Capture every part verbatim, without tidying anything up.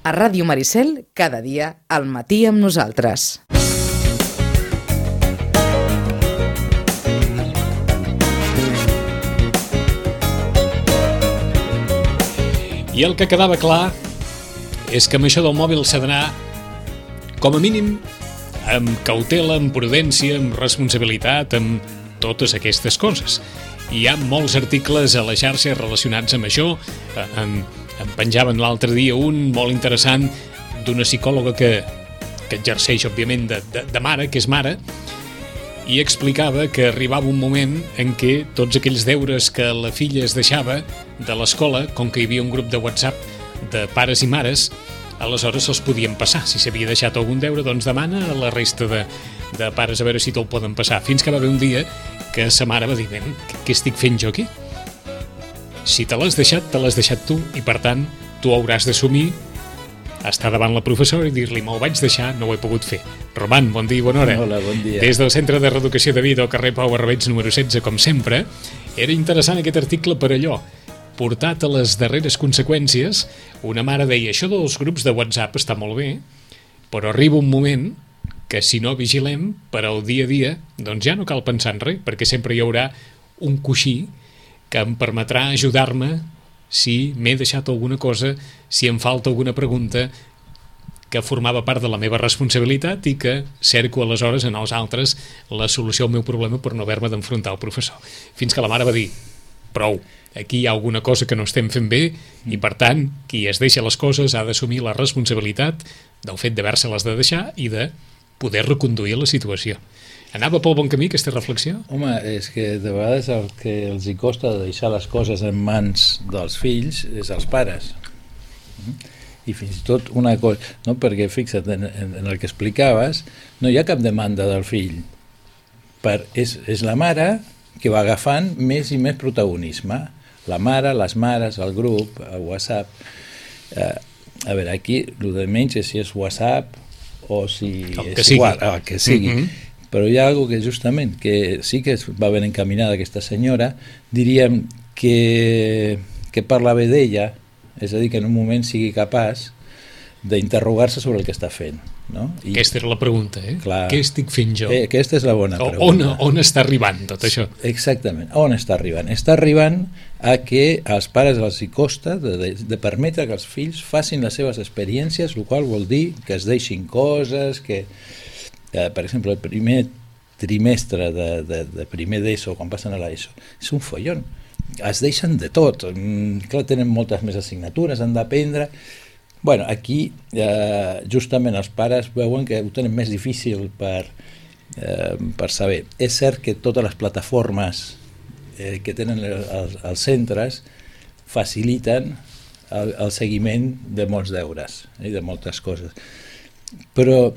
A Ràdio Maricel, cada dia al matí amb nosaltres. I el que quedava clar és que amb això del mòbil s'ha d'anar, com a mínim, amb cautela, amb prudència, amb responsabilitat, amb totes aquestes coses. Hi ha molts articles a la xarxa relacionats amb això. Em, em penjaven l'altre dia un molt interessant d'una psicòloga que, que exerceix, òbviament, de, de, de mare, que és mare, i explicava que arribava un moment en què tots aquells deures que la filla es deixava de l'escola, com que hi havia un grup de WhatsApp de pares i mares, aleshores se'ls podien passar. Si s'havia deixat algun deure, doncs demana a la resta de, de pares a veure si te'l poden passar. Fins que va haver un dia que sa mare va dir: què, què estic fent jo aquí? Si te l'has deixat, te l'has deixat tu, i per tant, tu hauràs d'assumir estar davant la professora i dir-li: me'l vaig deixar, no ho he pogut fer. Roman, bon dia i bona hora. Hola, bon dia. Des del Centre de Reeducació de Vida al carrer Pau Barbeig número setze, com sempre, era interessant aquest article per allò, portat a les darreres conseqüències. Una mare deia: això dels grups de WhatsApp està molt bé, però arriba un moment que si no vigilem per al dia a dia, doncs ja no cal pensar en res, perquè sempre hi haurà un coixí que em permetrà ajudar-me si m'he deixat alguna cosa, si em falta alguna pregunta que formava part de la meva responsabilitat i que cerco aleshores en els altres la solució al meu problema per no haver-me d'enfrontar al professor. Fins que la mare va dir: prou, aquí hi ha alguna cosa que no estem fent bé i, per tant, qui es deixa les coses ha d'assumir la responsabilitat del fet d'haver-se-les de deixar i de poder reconduir la situació. Anava pel bon camí aquesta reflexió? Home, és que de vegades el que els hi costa deixar les coses en mans dels fills és els pares. I fins i tot una cosa, no? Perquè fixa't, en, en el que explicaves, no hi ha cap demanda del fill. Per, és, és la mare que va agafant més i més protagonisme. La mare, les mares, el grup, el WhatsApp. Eh, a veure, aquí el de menys és si és WhatsApp o si el és que sigui. igual, el que sigui. Mm-hmm. Però hi ha algo que justament, que sí que va ben encaminada aquesta senyora, diríem que, que parla bé d'ella, és a dir, que en un moment sigui capaç d'interrogar-se sobre el que està fent. No? I, aquesta era la pregunta, eh? Clar, què estic fent jo? Eh, aquesta és la bona o, pregunta. On, on està arribant tot això? Exactament, on està arribant? Està arribant a que als pares els hi costa de, de, de permetre que els fills facin les seves experiències, el qual vol dir que es deixin coses, que... Eh, per exemple, el primer trimestre de, de, de primer d'ESO, quan passen a l'ESO, és un follon. Es deixen de tot. Mm, clar, tenen moltes més assignatures, han d'aprendre. Bueno, aquí eh, justament els pares veuen que ho tenen més difícil per, eh, per saber. És cert que totes les plataformes eh, que tenen els, els centres faciliten el, el seguiment de molts deures i eh, de moltes coses. Però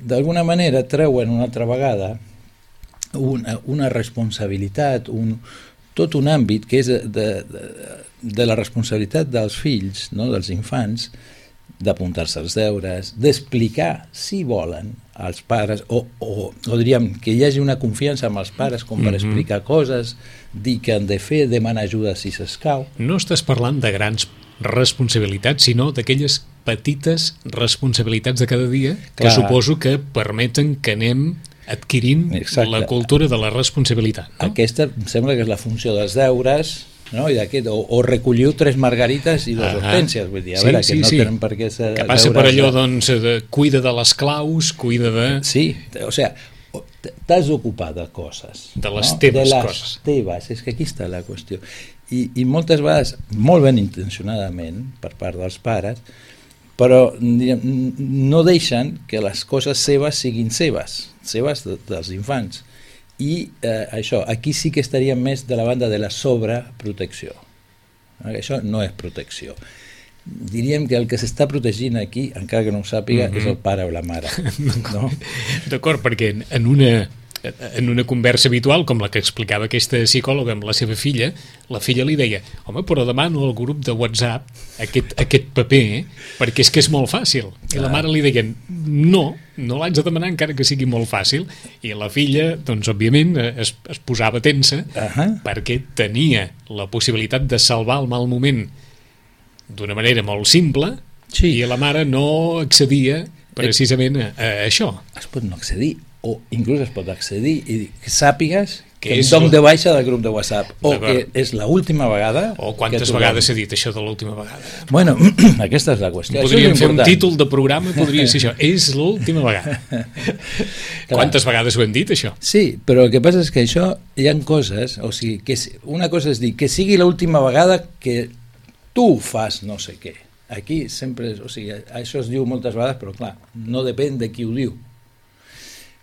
d'alguna manera treuen una altra vegada una, una responsabilitat, un, tot un àmbit que és de, de, de la responsabilitat dels fills, no? Dels infants, d'apuntar-se als deures, d'explicar, si volen, als pares, o, o, o diríem que hi hagi una confiança amb els pares com per explicar coses, dir què han de fer, demanar ajuda si s'escau. No estàs parlant de grans responsabilitats, sinó d'aquelles petites responsabilitats de cada dia que Clar. Suposo que permeten que anem adquirint Exacte. La cultura de la responsabilitat. No? Aquesta em sembla que és la funció dels deures, no? I d'aquest, o, o recolliu tres margarites i dues hortències, vull dir, a sí, veure, sí, que no sí. tenen per què ser... Que passa per allò, doncs, de, cuida de les claus, cuida de... Sí, o sigui, t'has d'ocupar de coses. De les no? teves de les coses. teves, és que aquí està la qüestió. I, i moltes vegades, molt ben intencionadament, per part dels pares, però diguem, no deixen que les coses seves siguin seves, seves de, dels infants. I eh, això, aquí sí que estaríem més de la banda de la sobreprotecció. Això no és protecció. Diríem que el que s'està protegint aquí, encara que no ho sàpiga, mm-hmm. és el pare o la mare. No? D'acord, perquè en una... en una conversa habitual, com la que explicava aquesta psicòloga amb la seva filla, la filla li deia: home, però demano al grup de WhatsApp aquest, aquest paper, eh? perquè és que és molt fàcil. I la mare li deia: no, no l'haig de demanar encara que sigui molt fàcil. I la filla, doncs, òbviament, es, es posava tensa uh-huh. perquè tenia la possibilitat de salvar el mal moment d'una manera molt simple, Sí. I la mare no accedia precisament a, a això. Es pot no accedir, o inclús es pot accedir i que sàpigues que, que em és dono la... de baixa del grup de WhatsApp, o que és l'última vegada... O quantes tothom... vegades s'ha dit això de l'última vegada? Bueno, aquesta és la qüestió. Podríem fer important. un títol de programa, podria ser això. És l'última vegada. Quantes vegades ho hem dit, això? Sí, però el que passa és que això hi ha coses, o sigui, que una cosa és dir que sigui l'última vegada que tu fas no sé què. Aquí sempre, o sigui, això es diu moltes vegades, però clar, no depèn de qui ho diu.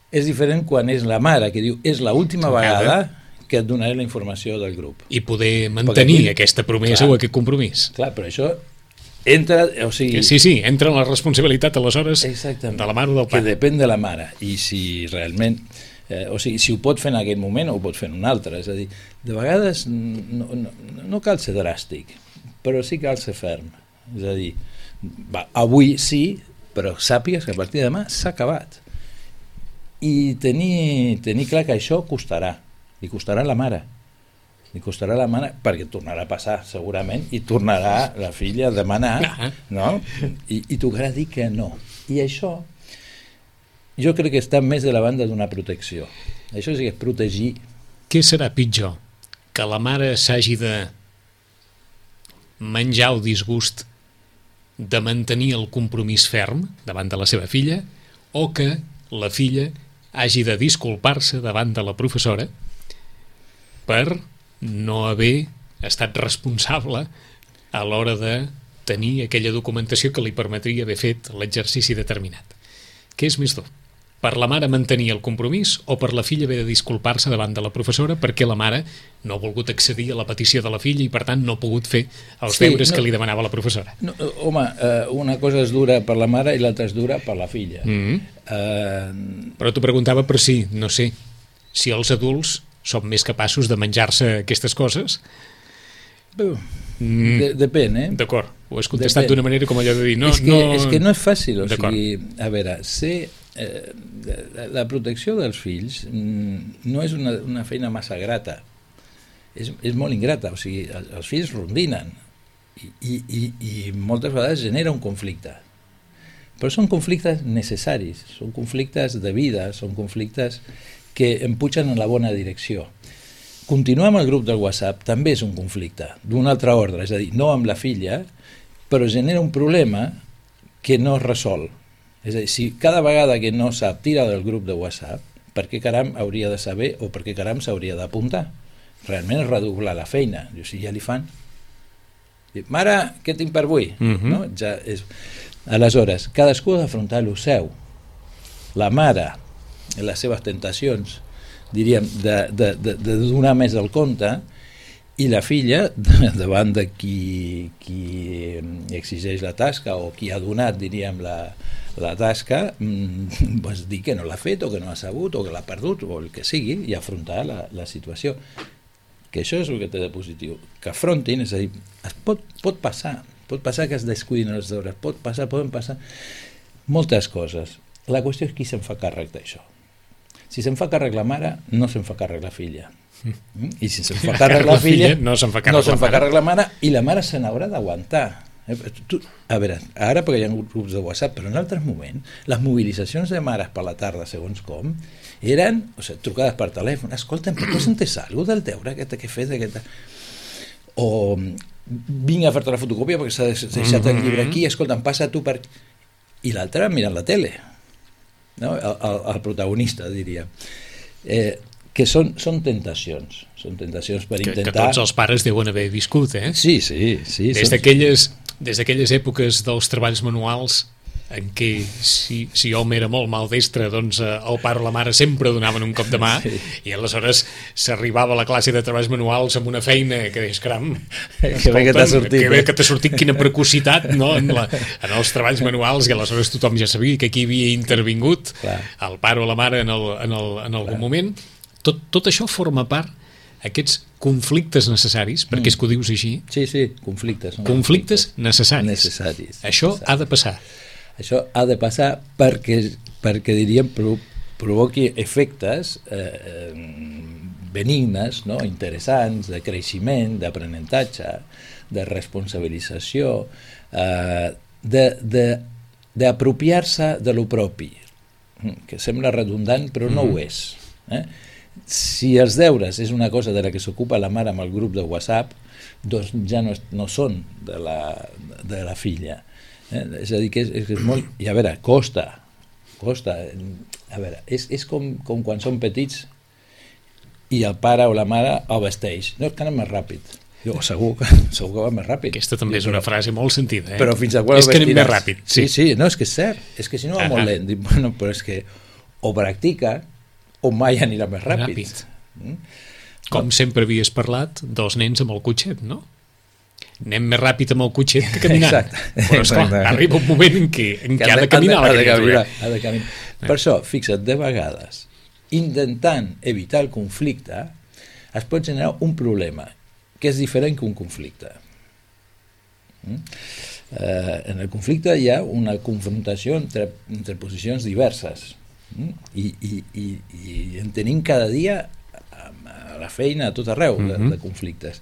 És diferent quan és la mare que diu és l'última vegada que et donaré la informació del grup. I poder mantenir aquí, aquesta promesa clar, o aquest compromís. Clar, però això entra, o sigui... Sí, sí, entra en la responsabilitat aleshores exactament, de la mare o del pare. Que depèn de la mare, i si realment... Eh, o sigui, si ho pot fer en aquell moment o ho pot fer en un altre, és a dir, de vegades no, no, no cal ser dràstic, però sí cal ser ferm. És a dir, va, avui sí, però sàpigues que a partir de demà s'ha acabat. I tenir, tenir clar que això costarà, li costarà a la mare, li costarà a la mare, perquè tornarà a passar segurament, i tornarà la filla a demanar, no? I, i tocarà dir que no. I això, jo crec que està més de la banda d'una protecció. Això sí que és protegir. Què serà pitjor? Que la mare s'hagi de menjar el disgust de mantenir el compromís ferm davant de la seva filla, o que la filla hagi de disculpar-se davant de la professora per no haver estat responsable a l'hora de tenir aquella documentació que li permetria haver fet l'exercici determinat. Què és més dur? Per la mare mantenir el compromís o per la filla haver de disculpar-se davant de la professora perquè la mare no ha volgut accedir a la petició de la filla i per tant no ha pogut fer els sí, deures no, que li demanava la professora? No, home, eh, una cosa és dura per la mare i l'altra és dura per la filla. Mm-hmm. eh... Però t'ho preguntava per si, no sé, si els adults són més capaços de menjar-se aquestes coses. Mm. De, depèn, eh? D'acord, ho has contestat d'una manera com allò de dir... No, és, que, no... és que no és fàcil, o sigui, a veure, ser... Eh, la protecció dels fills no és una, una feina massa grata, és, és molt ingrata, o sigui, els fills rondinen i, i, i moltes vegades genera un conflicte, però són conflictes necessaris, són conflictes de vida, són conflictes que em pugen en la bona direcció. Continuar amb el grup del WhatsApp també és un conflicte d'un altre ordre, és a dir, no amb la filla, però genera un problema que no es resol. És a dir, si cada vegada que no sap tira del grup de WhatsApp, per què caram hauria de saber o per què caram s'hauria d'apuntar? Realment és redoblar la feina. Jo, si ja li fan... Mare, què tinc per avui? Uh-huh. No? Ja és... Aleshores, cadascú ha d'afrontar el seu. La mare, les seves tentacions, diríem, de, de, de, de donar més del compte, i la filla, davant de qui, qui exigeix la tasca o qui ha donat, diríem, la, la tasca, mmm, pues dir que no l'ha fet o que no ha sabut o que l'ha perdut o el que sigui i afrontar la, la situació. Que això és el que té de positiu. Que afrontin, és a dir, es pot, pot passar, pot passar que es descuidin els deures, pot passar, poden passar moltes coses. La qüestió és qui se'n fa càrrec d'això. Si se'n fa càrrec la mare, no se'n fa càrrec la filla. Mm? I si se'n fa càrrec la filla, no se'n fa càrrec, no se'n la, fa mare. càrrec la mare, i la mare se n'haurà d'aguantar. Tu, a veure, ara perquè hi ha grups de WhatsApp, però en altres moments, les mobilitzacions de mares per la tarda, segons com, eren, o sigui, trucades per telèfon, escolta'm, però tu has entès alguna cosa del deure que he fet? Aquest... O vinc a fer-te la fotocòpia perquè s'ha deixat mm-hmm. el llibre aquí, escolta'm, passa tu per... I l'altre mirant la tele, no? el, el, el protagonista, diria. Eh, que són, són tentacions, són tentacions per que, intentar... Que tots els pares deuen haver viscut, eh? Sí, sí, sí. Des d'aquelles des d'aquelles èpoques dels treballs manuals en què si, si hom era molt maldestre, doncs eh, el pare o la mare sempre donaven un cop de mà, sí. I aleshores s'arribava a la classe de treballs manuals amb una feina que deies, caram, que bé que t'ha sortit, que bé que t'ha sortit, quina precocitat, no? en, la, en els treballs manuals, i aleshores tothom ja sabia que aquí havia intervingut Clar. El pare o la mare en, el, en, el, en algun Clar. Moment. Tot, tot això forma part, aquests conflictes necessaris, perquè mm. és que ho dius així. Sí, sí, conflictes. Conflictes, conflictes necessaris. necessaris. Això necessaris. ha de passar. Això ha de passar perquè, perquè diríem, provoqui efectes eh, benignes, no? Interessants, de creixement, d'aprenentatge, de responsabilització, eh, d'apropiar-se de, de, de lo propi, que sembla redundant però no mm. ho és. Eh? Si els deures és una cosa de la que s'ocupa la mare amb el grup de WhatsApp, doncs ja no, no són de la, de la filla. Eh? És a dir, que és, és, és molt... I a veure, costa, costa. A veure, és, és com, com quan són petits i el pare o la mare el vesteix. No, és que anem més ràpid. Jo, segur que, segur que va més ràpid. Aquesta també és una frase molt sentida, eh? Però fins a quan és que anem més ràpid. Sí, sí, sí, no, és que és cert. És que si no va ah, molt lent. Dic, bueno, però és que o practica o mai anirà més ràpid. ràpid. Mm? Com sempre havies parlat dels nens amb el cotxet, no? Anem més ràpid amb el cotxet que caminant. Exacte. Però esclar, arriba un moment en què, en què ha de caminar la criatura. Ha de caminar. Per això, fixa't, de vegades, intentant evitar el conflicte, es pot generar un problema que és diferent que un conflicte. Mm? Eh, en el conflicte hi ha una confrontació entre, entre posicions diverses. Mm? I, i, i, i en tenim cada dia a la feina, a tot arreu, de, de conflictes.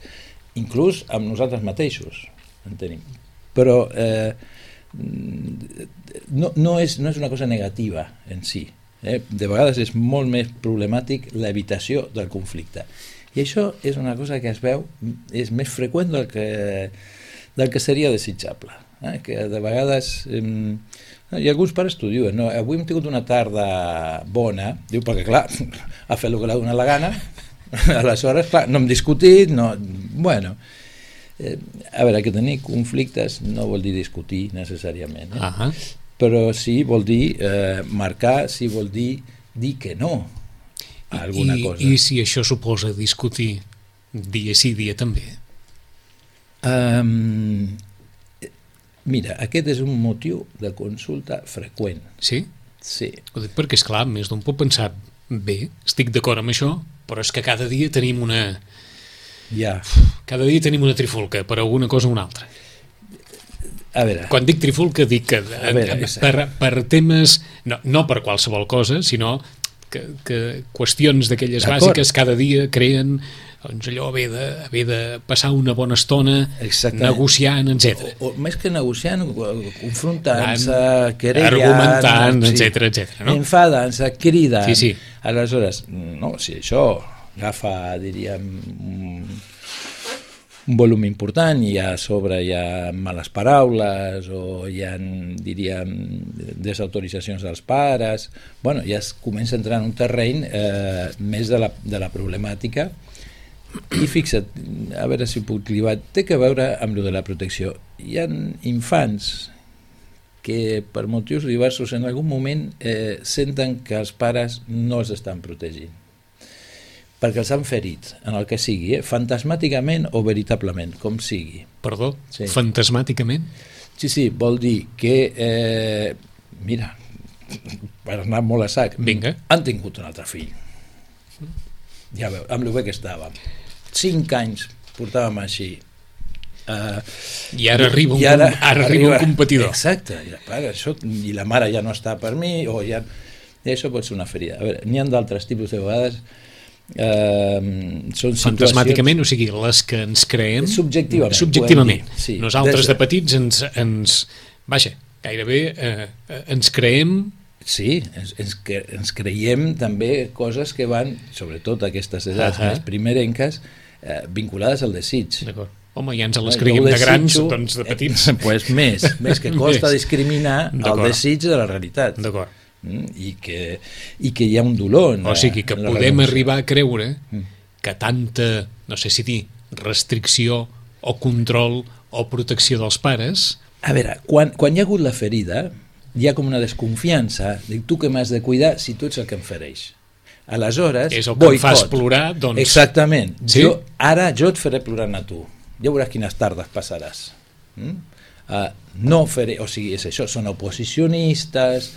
Inclús amb nosaltres mateixos en tenim. Però eh, no, no, és, no és una cosa negativa en si. Eh? De vegades és molt més problemàtic l'evitació del conflicte. I això és una cosa que es veu, és més freqüent del que, del que seria desitjable. Eh? Que de vegades... Eh, i alguns pares t'ho diuen, no? Avui hem tingut una tarda bona, diu, perquè clar, ha fet el que l'ha donat la gana, aleshores, clar, no hem discutit, no... Bueno, eh, a veure, que tenir conflictes no vol dir discutir necessàriament, eh? Uh-huh. Però sí vol dir eh, marcar, sí vol dir dir que no a alguna I, cosa. I si això suposa discutir dia sí, dia també? Um, mira, aquest és un motiu de consulta freqüent. Sí? Sí. Ho dic perquè, esclar, més d'un pot pensar, bé, estic d'acord amb això, però és que cada dia tenim una... Ja. Cada dia tenim una trifulca per alguna cosa o una altra. A veure... Quan dic trifulca dic que a veure, per, per temes... No, no per qualsevol cosa, sinó que, que qüestions d'aquelles bàsiques cada dia creen doncs allò, haver de, haver de passar una bona estona negociant, etcètera. O, o més que negociant, confrontant-se, querellant, argumentant, etcètera, etcètera, no? Enfadant-se, cridant. Sí, sí. Aleshores, no, si això agafa, diríem, un, un volum important i a sobre hi ha males paraules o hi ha, diríem, desautoritzacions dels pares, bueno, ja es comença a entrar en un terreny eh, més de la, de la problemàtica. I fixa't, a veure si puc clivar, té que veure amb lo de la protecció. Hi ha infants que per motius diversos en algun moment eh, senten que els pares no els estan protegint perquè els han ferit, en el que sigui, eh? Fantasmàticament o veritablement, com sigui. Perdó? Sí. Fantasmàticament? Sí, sí, vol dir que, eh, mira, per anar molt a sac, vinga, han tingut un altre fill. Ja veu, amb el bé que estàvem. Cinc anys portàvem així. Uh, I ara arriba un, i ara, ara arriba un competidor. Exacte, i, pare, això, i la mare ja no està per mi, o ja... I això pot ser una ferida. A veure, n'hi ha d'altres tipus de vegades... Uh, són fantasmàticament, o sigui, les que ens creem subjectivament, subjectivament. Sí. Nosaltres de petits ens, ens vaja, gairebé eh, ens creem sí, ens, ens, ens creiem també coses que van, sobretot aquestes edats uh-huh. més primerenques, eh, vinculades al desig. D'acord. Home, ja ens les creiem de grans, doncs de petits eh, pues més, més que costa discriminar el desig de la realitat. D'acord. I que, i que hi ha un dolor. O sigui que podem arribar a creure que tanta, no sé si dir, restricció o control o protecció dels pares... A veure, quan, quan hi ha hagut la ferida, hi ha com una desconfiança, dic, tu que m'has de cuidar si tu ets el que em fereix. Aleshores, és el que boicot. Em fas plorar, doncs... Exactament. Sí? Jo, ara jo et faré plorant a tu. Ja veuràs quines tardes passaràs. Mm? Uh, no faré... O sigui, és això, són oposicionistes...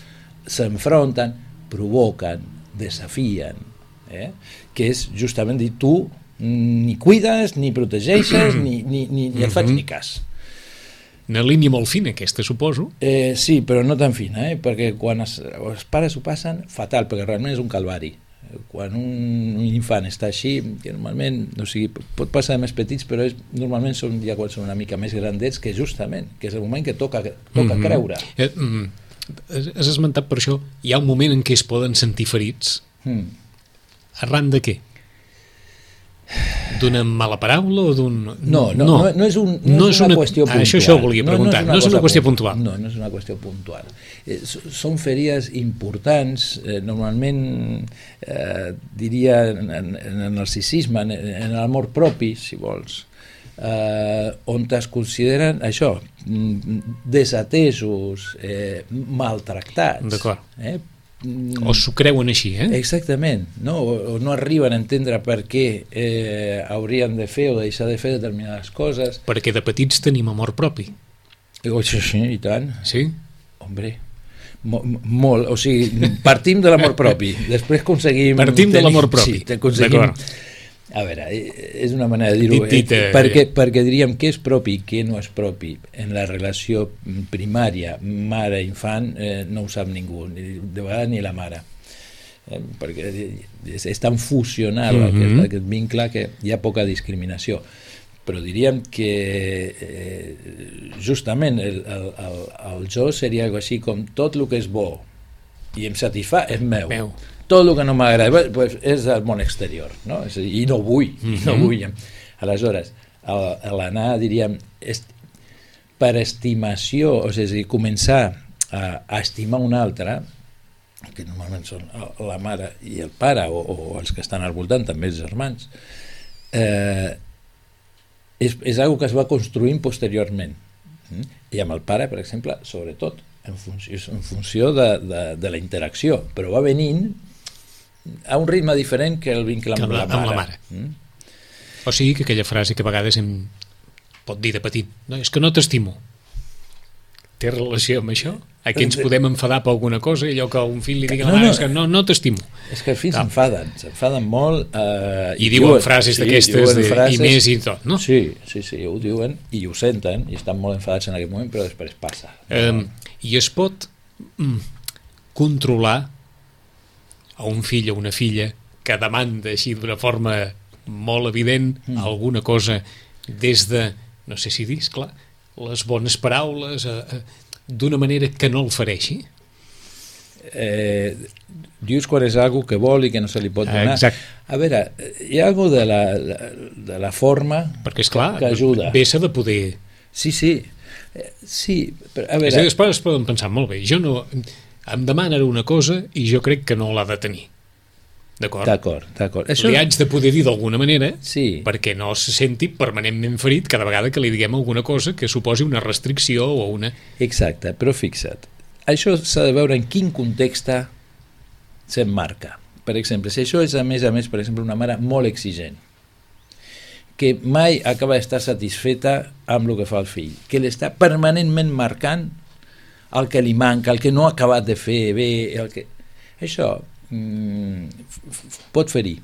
s'enfronten, provoquen, desafien, eh? Que és justament dir, tu ni cuides, ni protegeixes, ni, ni, ni, ni et faig ni cas. Una línia molt fina aquesta, suposo. Eh, sí, però no tan fina, eh? Perquè quan es, els pares ho passen, fatal, perquè realment és un calvari. Quan un infant està així, que normalment, o sigui, pot passar de més petits, però és, normalment són ja quan són una mica més grandets, que justament, que és el moment que toca, toca mm-hmm. creure. Eh, mm, has esmentat per això, hi ha un moment en què es poden sentir ferits. Mm. Arran de què? D'una mala paraula o d'un... No, no, no, no és, un, no no és, és una, una qüestió puntual. Això, això ho volia preguntar, no, no és una, no és una qüestió puntual. No, no és una qüestió puntual. Eh, són ferides importants, eh, normalment eh, diria en, en, en el narcisisme, en, en l'amor propi, si vols, eh, on es consideren això, desatesos, eh, maltractats. D'acord. Eh, o s'ho creuen així, eh? Exactament, no? O, o no arriben a entendre per què eh, haurien de fer o deixar de fer determinades coses. Perquè de petits tenim amor propi. Oh, sí, sí, i tant. Sí? Hombre, mo, molt, o sigui, partim de l'amor propi, després aconseguim... Partim tenir, de l'amor propi, sí, d'acord. A veure, és una manera de dir-ho, dit, dit, eh, perquè, perquè diríem què és propi i què no és propi. En la relació primària mare-infant eh, no ho sap ningú, de vegades ni la mare, eh, perquè és, és tan fusional mm-hmm. aquest, aquest vincle que hi ha poca discriminació. Però diríem que eh, justament el, el, el, el jo seria algo així com tot el que és bo i em satisfà és meu. meu. Tot el que no m'agrada pues, és el món exterior, no? És a dir, i no vull, mm-hmm. no vull. Aleshores, l'anar, diríem, est... per estimació, o sigui, començar a, a estimar un altre, que normalment són la mare i el pare, o, o els que estan al voltant, també els germans, eh, és, és una cosa que es va construint posteriorment. I amb el pare, per exemple, sobretot, en funció, en funció de, de, de la interacció, però va venint a un ritme diferent que el vincle amb, amb, la, la, mare. amb la mare. Mm? O sigui que aquella frase que a vegades em pot dir de petit, no, és que no t'estimo. Té relació amb això? Aquí ens podem enfadar per alguna cosa i allò que un fill li digui a la mare no, no, és que no, no t'estimo. És que els fills s'enfaden, s'enfaden molt. Eh, I, I diuen, diuen frases sí, d'aquestes de, frases, i més i tot, no? Sí, sí, sí, ho diuen i ho senten i estan molt enfadats en aquell moment, però després passa. Um, I es pot mm, controlar a un fill o una filla que demanda així d'una forma molt evident mm. alguna cosa des de, no sé si dir, clar, les bones paraules, eh, eh, d'una manera que no el fereixi? Eh, dius quan és algo que vol i que no se li pot donar. Exacte. A veure, hi ha algo de la, de la forma perquè, esclar, que ajuda. Bé s'ha de poder... Sí, sí. Sí, però, a veure... És a dir, els pares poden pensar molt bé, jo no... em demana una cosa i jo crec que no l'ha de tenir. D'acord? D'acord, d'acord. Això... Li haig de poder dir d'alguna manera sí. perquè no se senti permanentment ferit cada vegada que li diguem alguna cosa que suposi una restricció o una... Exacte, però fixa't, això s'ha de veure en quin context s'emmarca. Per exemple, si això és a més a més, per exemple, una mare molt exigent, que mai acaba d'estar satisfeta amb el que fa el fill, que l'està permanentment marcant el que li manca, el que no ha acabat de fer bé, el que... això mm, pot ferir.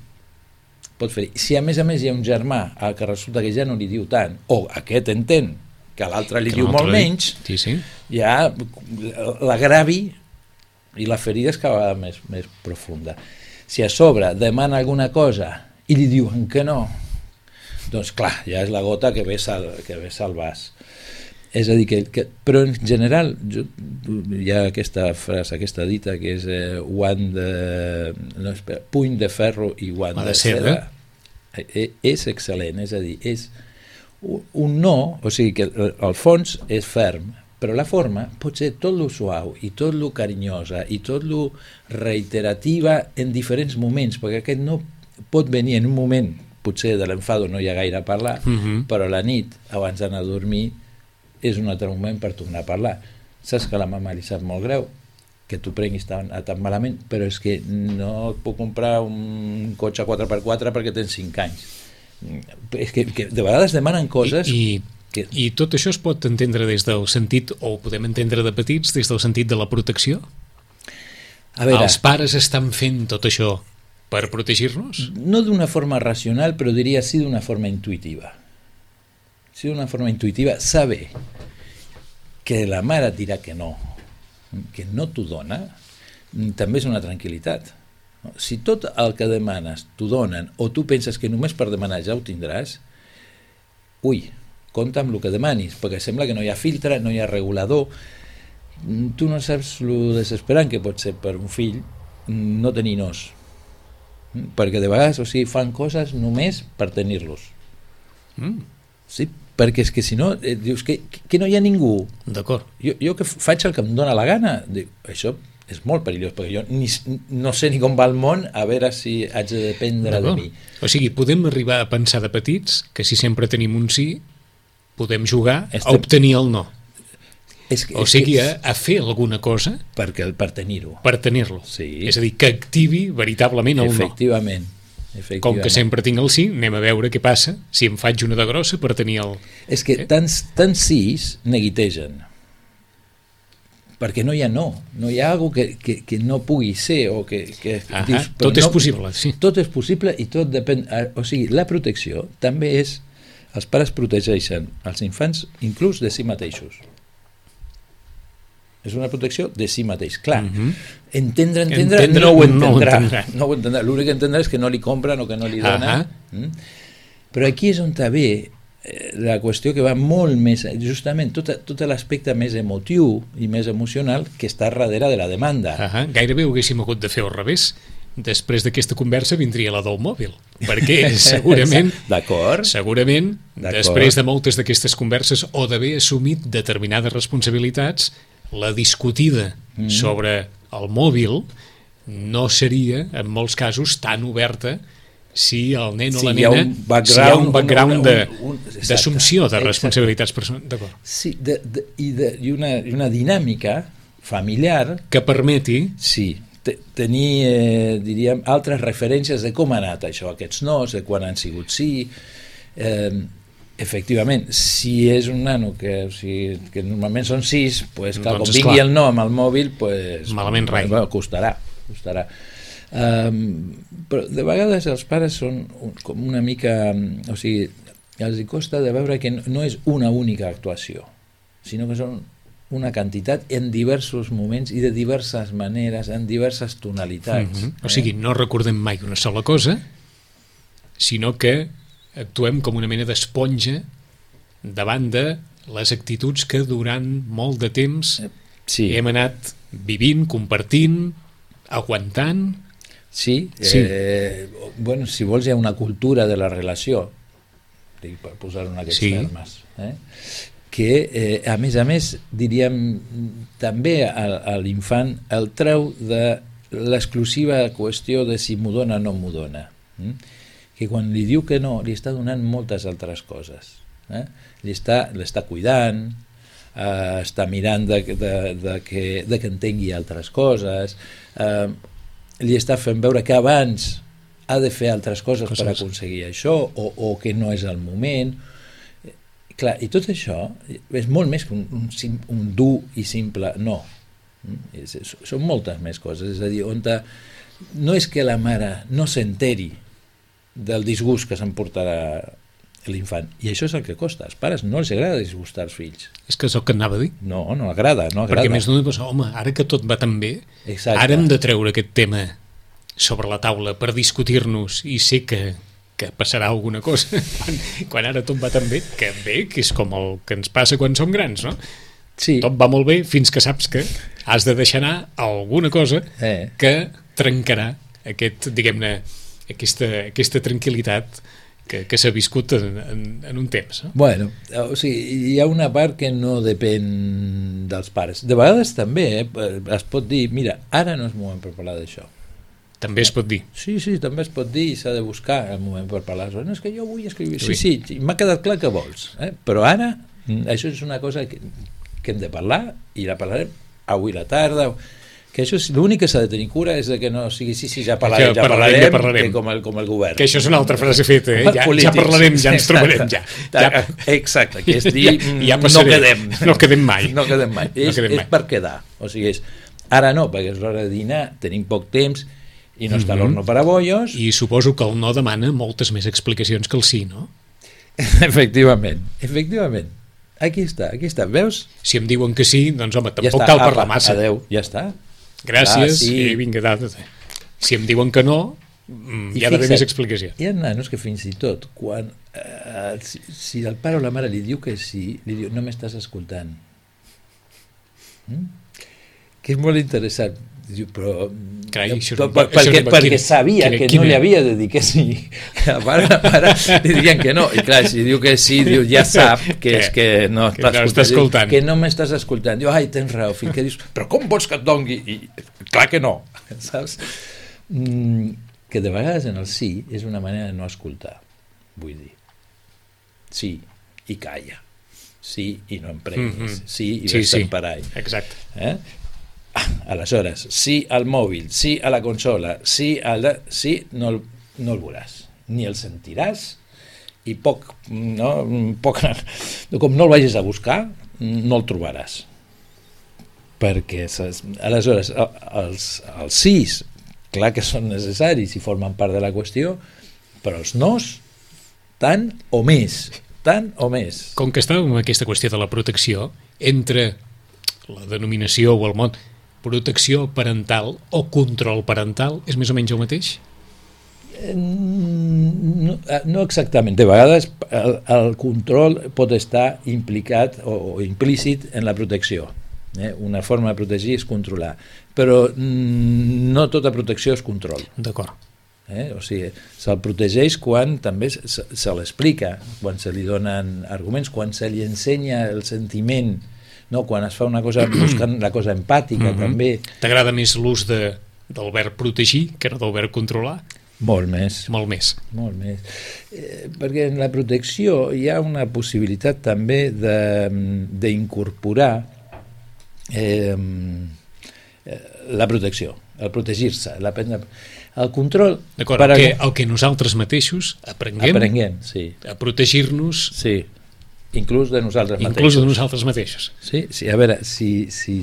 Pot ferir. Si a més a més hi ha un germà al que resulta que ja no li diu tant, o aquest entén que l'altre li que diu molt menys, sí, sí. ja l'agravi i la ferida és cada vegada més, més profunda. Si a sobre demana alguna cosa i li diuen que no, doncs clar, ja és la gota que ves al, que ves al vas. És a dir, que, que, però en general jo, hi ha aquesta frase, aquesta dita que és eh, one de, no, espera, puny de ferro i guant de, de seda. Eh? És excel·lent, és a dir, és un, un no, o sigui que el fons és ferm, però la forma pot ser tot lo suau i tot lo carinyosa i tot lo reiterativa en diferents moments, perquè aquest no pot venir en un moment, potser de l'enfado no hi ha gaire a parlar, uh-huh. però a la nit, abans d'anar a dormir, és un altre moment per tornar a parlar. Saps que a la mama li sap molt greu que tu prenguis tan, tan malament, però és que no et puc comprar un cotxe quatre per quatre perquè tens cinc anys. És que, que de vegades demanen coses... I, i, que... I tot això es pot entendre des del sentit, o ho podem entendre de petits, des del sentit de la protecció? A veure, els pares estan fent tot això per protegir-nos? No d'una forma racional, però diria sí d'una forma intuïtiva. Sí d'una forma intuïtiva, saber que la mare et dirà que no, que no t'ho dona, també és una tranquil·litat. Si tot el que demanes t'ho donen o tu penses que només per demanar ja ho tindràs, ui, compta amb el que demanis, perquè sembla que no hi ha filtre, no hi ha regulador. Tu no saps lo desesperant que pot ser per un fill no tenir nos, perquè de vegades, o sigui, fan coses només per tenir-los. Mm. Sí, perquè és que si no, eh, dius que, que no hi ha ningú. D'acord. Jo, jo que faig el que em dóna la gana, dic, això és molt perillós, perquè jo ni, no sé ni com va el món, a veure si haig de dependre de mi. O sigui, podem arribar a pensar de petits que si sempre tenim un sí, podem jugar Estem... a obtenir el no. És que, o sigui, a, a fer alguna cosa perquè, per tenir-ho. Per tenir-lo. Sí. És a dir, que activi veritablement el efectivament, no. Efectivament. Com que sempre tinc el sí, anem a veure què passa si em faig una de grossa per tenir el... És que eh? tants, tants sís neguitegen, perquè no hi ha no, no hi ha alguna que, que, que no pugui ser o que... que ah, dius, tot no, és possible, sí. Tot és possible i tot depèn... O sigui, la protecció també és... Els pares protegeixen els infants inclús de si mateixos. És una protecció de si mateix. Clar, uh -huh. entendre, entendre, entendre, no ho entendrà. No ho entendrà. No ho entendrà. L'únic que entendrà és que no li compren o que no li donen. Uh -huh. mm? Però aquí és on ve eh, la qüestió que va molt més... Justament tot, tot l'aspecte més emotiu i més emocional que està darrere de la demanda. Uh -huh. Gairebé ho haguéssim hagut de fer al revés. Després d'aquesta conversa vindria la del mòbil, perquè segurament, d'acord, segurament després de moltes d'aquestes converses o d'haver assumit determinades responsabilitats, la discutida mm. sobre el mòbil no seria, en molts casos, tan oberta si el nen o sí, la nena, background, si hi ha un background d'assumpció d'assumpció de responsabilitats personals. D'acord. Sí, de, de, i, de, i, una, i una dinàmica familiar que permeti... Sí, tenir, eh, diríem, altres referències de com ha anat això, aquests nos, de quan han sigut sí. Eh, efectivament, si és un nano que, o sigui, que normalment són sis, pues, clar, doncs, com vingui clar. El no amb el mòbil, pues, malament rai. Bueno, costarà, costarà. Um, però de vegades els pares són un, com una mica, o sigui, els hi costa de veure que no, no és una única actuació, sinó que són una quantitat en diversos moments i de diverses maneres, en diverses tonalitats. Mm-hmm. O sigui, no recordem mai una sola cosa, sinó que actuem com una mena d'esponja davant de les actituds que durant molt de temps sí. hem anat vivint, compartint, aguantant. Sí, sí. Eh, bueno, si vols hi ha una cultura de la relació, per posar-ho en aquests sí. termes, eh? que eh, a més a més diríem també a, a l'infant el treu de l'exclusiva qüestió de si m'ho dona o no m'ho dona, mm? que quan li diu que no li està donant moltes altres coses, eh? li està, l'està cuidant, eh, està mirant de, de, de, que, de que entengui altres coses, eh, li està fent veure que abans ha de fer altres coses, coses. per aconseguir això o, o que no és el moment. Clar, i tot això és molt més que un, un, un dur i simple no. És, és, són moltes més coses. És a dir, on te, no és que la mare no s'enteri del disgust que s'emportarà l'infant. I això és el que costa. Als pares no els agrada disgustar els fills. És que és el que anava a dir. No, no agrada. No agrada. Perquè més d'una cosa, home, ara que tot va tan bé, exacte. Ara hem de treure aquest tema sobre la taula per discutir-nos i sé que que passarà alguna cosa quan, quan ara tot va tan bé, que bé, que és com el que ens passa quan som grans, no? Sí. Tot va molt bé fins que saps que has de deixar anar alguna cosa eh. que trencarà aquest, diguem-ne, aquesta, aquesta tranquil·litat que, que s'ha viscut en, en, en un temps. No? Bueno, o sigui, hi ha una part que no depèn dels pares. De vegades també eh, es pot dir, mira, ara no és moment per parlar d'això. També es pot dir. Sí, sí, també es pot dir i s'ha de buscar el moment per parlar. No, és que jo vull escriure. Sí, sí, sí m'ha quedat clar que vols. Eh? Però ara, això és una cosa que, que hem de parlar i la parlarem avui a la tarda. Que això és l'únic que s'ha de tenir cura és de que no sigui sí, sí, ja parlarem, ja parlarem, ja parlarem. Que com, el, com el govern. Que això és una altra frase feta, eh? Ja, ja parlarem, ja ens trobarem, ja. ja. Exacte, que és dir, ja, ja no quedem. No quedem mai. No quedem mai. No és, quedem mai. És per quedar. O sigui, és, ara no, perquè és l'hora de dinar, tenim poc temps, i no està mm -hmm. l'horno per a bollos. I suposo que el no demana moltes més explicacions que el sí, no? Efectivament, efectivament. Aquí està, aquí està, veus? Si em diuen que sí, doncs home, tampoc ja cal parlar massa. Adeu, ja està. Gràcies, ah, sí. I vinga, dada. Si em diuen que no, hi ha d'haver més explicació. Hi ha nanos que fins i tot, quan, eh, si, si el pare o la mare li diu que sí, li diu, no m'estàs escoltant. Mm? Que és molt interessant. Diu, però... Carai, això, per, per, perquè això, perquè quina, sabia quina, que quina... no li havia de dir que sí. Que la pare, la mare li diuen que no. I clar, si diu que sí, diu, ja sap que, que és que no que no està escoltant. Diu, que no m'estàs escoltant. Diu, ai, tens raó, fill. Que dius, però com vols que et dongui? I, clar que no. Saps? Mm, que de vegades en el sí és una manera de no escoltar. Vull dir. Sí, i calla. Sí, i no em prenguis. Mm-hmm. Sí, i sí, ves-te'n sí. per ahí. Exacte. Eh? Aleshores, sí al mòbil, sí a la consola, sí al... sí, no el, no el veuràs, ni el sentiràs, i poc, no, poc, com no el vagis a buscar, no el trobaràs. Perquè, aleshores, els, els sís, clar que són necessaris i formen part de la qüestió, però els nos, tant o més, tant o més. Com que estàvem en aquesta qüestió de la protecció, entre la denominació o el mot protecció parental o control parental és més o menys el mateix? No, no exactament. De vegades el, el control pot estar implicat o, o implícit en la protecció. Eh? Una forma de protegir és controlar. Però no tota protecció és control. D'acord. Eh? O sigui, se'l protegeix quan també se, se l'explica, quan se li donen arguments, quan se li ensenya el sentiment. No, quan es fa una cosa buscant la cosa empàtica, mm-hmm. també. T'agrada més l'ús de, del verb protegir que no del verb controlar? Molt més. Molt més. Molt més. Eh, perquè en la protecció hi ha una possibilitat també d'incorporar eh, la protecció, el protegir-se, la prendre... El control... D'acord, el, que, el que nosaltres mateixos aprenguem, aprenguem sí. a protegir-nos... Sí. Inclús de nosaltres Inclús mateixos. de nosaltres mateixos. Sí, sí, a veure, si, si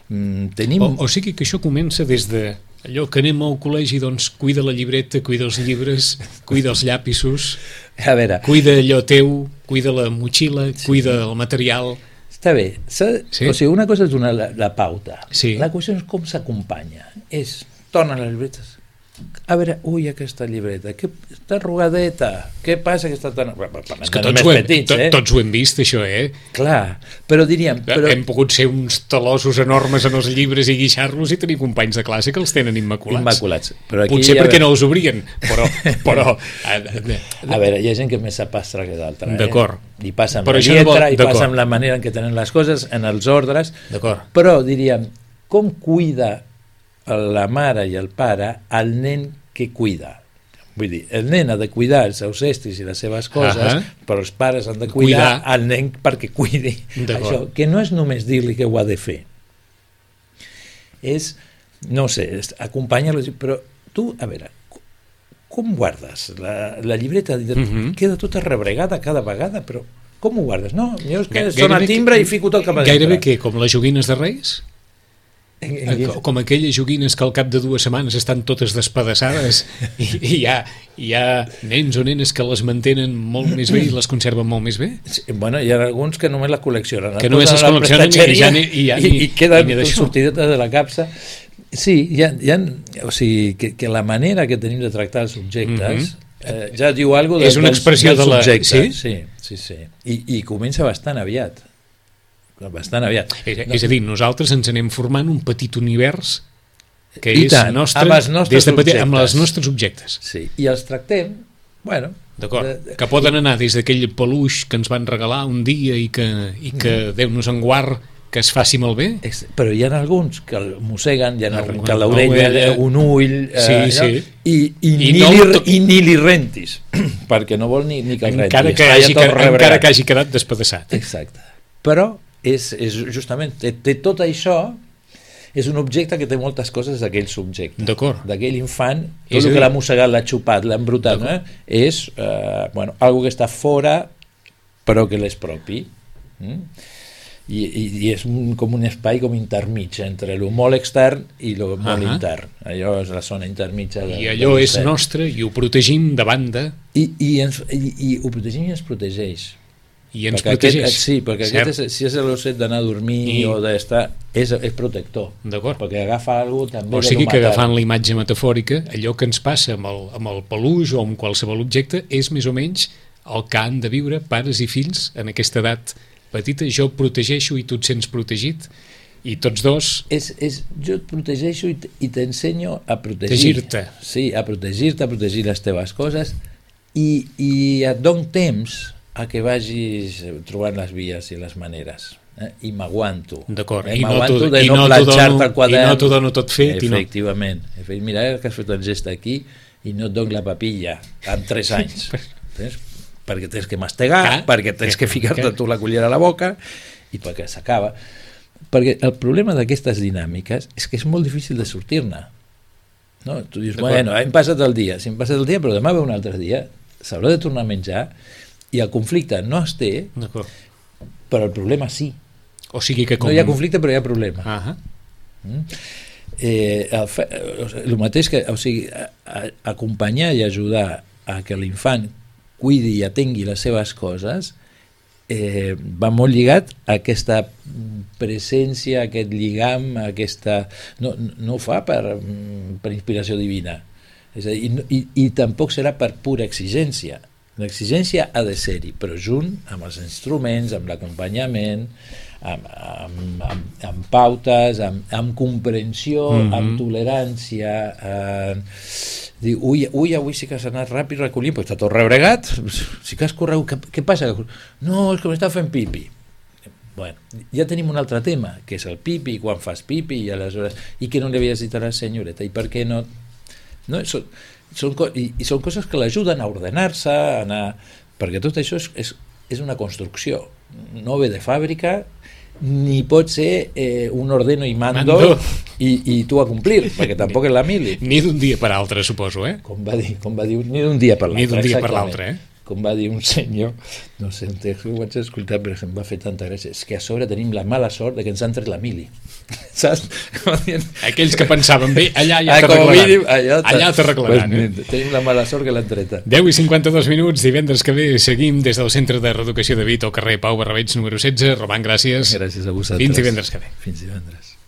mm, tenim... O, o sigui que això comença des de allò que anem al col·legi, doncs cuida la llibreta, cuida els llibres, cuida els llapisos, a veure, cuida allò teu, cuida la motxilla, sí. cuida el material... Està bé, sí? O sigui, una cosa és donar la, la pauta, sí. La qüestió és com s'acompanya, és, torna les llibretes, a veure, ui, aquesta llibreta, que està arrugadeta, què passa que està tan... És que tots ho, hem, petits, to, eh? tots ho hem vist, això, eh? Clar, però diríem... Però... Hem pogut ser uns talosos enormes en els llibres i guixar-los i tenir companys de classe que els tenen immaculats. Immaculats. Però aquí potser perquè veure... no els obrien, però... però... A veure, hi ha gent que és més sapastre que d'altra, eh? D'acord. I passa amb però la lletra, i passa amb la manera en què tenen les coses, en els ordres... D'acord. Però diríem, com cuida la mare i el pare al nen que cuida? Vull dir, el nen ha de cuidar els seus estris i les seves coses, uh -huh. però els pares han de cuidar, cuidar al nen perquè cuidi això, que no és només dir-li que ho ha de fer, és, no sé, acompanyar-lo, però tu, a veure, com guardes la, la llibreta? Uh -huh. Queda tota rebregada cada vegada, però com ho guardes? No, jo és que sona timbre i fico tot cap a dintre. Gairebé que com les joguines de Reis? Com aquelles joguines que al cap de dues setmanes estan totes despedaçades i, i hi, ha, hi ha nens o nenes que les mantenen molt més bé i les conserven molt més bé. Sí, bueno, hi ha alguns que només la col·leccionen, que només les col·leccionen i, ja ni, i, ja ni, i, i queda sortideta de la capsa. Sí, hi ha, hi ha, o sigui, que, que la manera que tenim de tractar els objectes mm-hmm. eh, ja diu alguna cosa és una expressió de la... Sí? Sí, sí, sí. I, i comença bastant aviat. bastant aviat. És, és a dir, nosaltres ens anem formant un petit univers que I és tant, nostre, amb, els nostres des de petit, amb els nostres objectes. Sí, i els tractem, bueno... D'acord, de... que poden anar des d'aquell peluix que ens van regalar un dia i que, i que mm. Déu nos en guard que es faci malbé. Però hi ha alguns que el mosseguen, hi ha alguns que l'orella, un ull, sí, eh, sí. I, i, I, ni no li, i ni li rentis, perquè no vol ni, ni que el rentis. Encara que, hagi, que, encara que hagi quedat despedaçat. Exacte. Però és, és justament, té, té tot això, és un objecte que té moltes coses d'aquell subjecte. D'acord. D'aquell infant, tot el que l'ha mossegat, l'ha xupat, l'ha embrutat, eh? és eh, bueno, algo que està fora, però que l'és propi. Mm? I, i, i és un, com un espai com intermig entre el molt extern i el molt uh-huh. intern. Allò és la zona intermitja de, i allò és nostre i ho protegim de banda i, i, ens, i, i ho protegim i ens protegeix, i ens perquè protegeix. Aquest, sí, perquè aquest és, si és l'osset d'anar a dormir I... o d'estar, és, és protector. D'acord. Perquè agafa alguna cosa també. O sigui que agafant la imatge metafòrica, allò que ens passa amb el, amb el peluix o amb qualsevol objecte és més o menys el que han de viure pares i fills en aquesta edat petita. Jo et protegeixo i tu et sents protegit i tots dos... És, és, jo et protegeixo i, i t'ensenyo a protegir. Protegir-te. Sí, a protegir-te, a protegir les teves coses i, i et dono temps a que vagis trobant les vies i les maneres. Eh? I m'aguanto. D'acord. Eh? I, no m'aguanto de i no, no planxar-te el quadern. I no t'ho dono tot fet. Efectivament. I no. Mira que has fet el gest aquí i no et dono la papilla amb tres anys. Tens? Perquè tens que mastegar, ah, perquè tens que ficar-te tu la cullera a la boca i perquè s'acaba. Perquè el problema d'aquestes dinàmiques és que és molt difícil de sortir-ne. No? Tu dius, bueno, hem passat el dia, si hem passat el dia, però demà ve un altre dia, s'haurà de tornar a menjar i el conflicte no es té, però el problema sí. O sigui que com... No hi ha conflicte, però hi ha problema. Uh -huh. mm? eh, el, fe, el mateix que, o sigui, a, a, acompanyar i ajudar a que l'infant cuidi i atengui les seves coses eh, va molt lligat a aquesta presència, aquest lligam, aquesta... No, no ho fa per, per inspiració divina. És a dir, i, i, i tampoc serà per pura exigència. L'exigència ha de ser-hi, però junt amb els instruments, amb l'acompanyament, amb, amb, amb, amb pautes, amb, amb comprensió, mm-hmm. amb tolerància. Eh, diu, ui, ui, avui sí que has anat ràpid recollint, però està tot rebregat, sí que has corregut, què, què passa? No, és que m'està fent pipi. Bueno, ja tenim un altre tema, que és el pipi, quan fas pipi, i aleshores, i que no li havies dit a la senyoreta, i per què no... No, són, són, i, i són coses que l'ajuden a ordenar-se, a anar, perquè tot això és, és, és una construcció, no ve de fàbrica, ni pot ser eh, un ordeno i mando, mando. I, i tu a complir, perquè tampoc és la mili. Ni d'un dia per altre, suposo, eh? Com va dir, com va dir ni d'un dia per l'altre. Ni d'un dia per l'altre, eh? Com va dir un senyor, no sé, ho vaig escoltar però em va fer tanta gràcia, és que a sobre tenim la mala sort de que ens han tret la mili. Saps? Aquells que pensaven bé, allà ja t'arreglaran. Allà, allà t'arreglaran. Pues, eh? Tenim la mala sort que l'han treta. deu i cinquanta-dos minuts, divendres que ve seguim des del Centre de Reeducació de Vito, al carrer Pau Barrabeig número setze. Roman, gràcies. Gràcies a vosaltres. Fins divendres que ve. Fins divendres.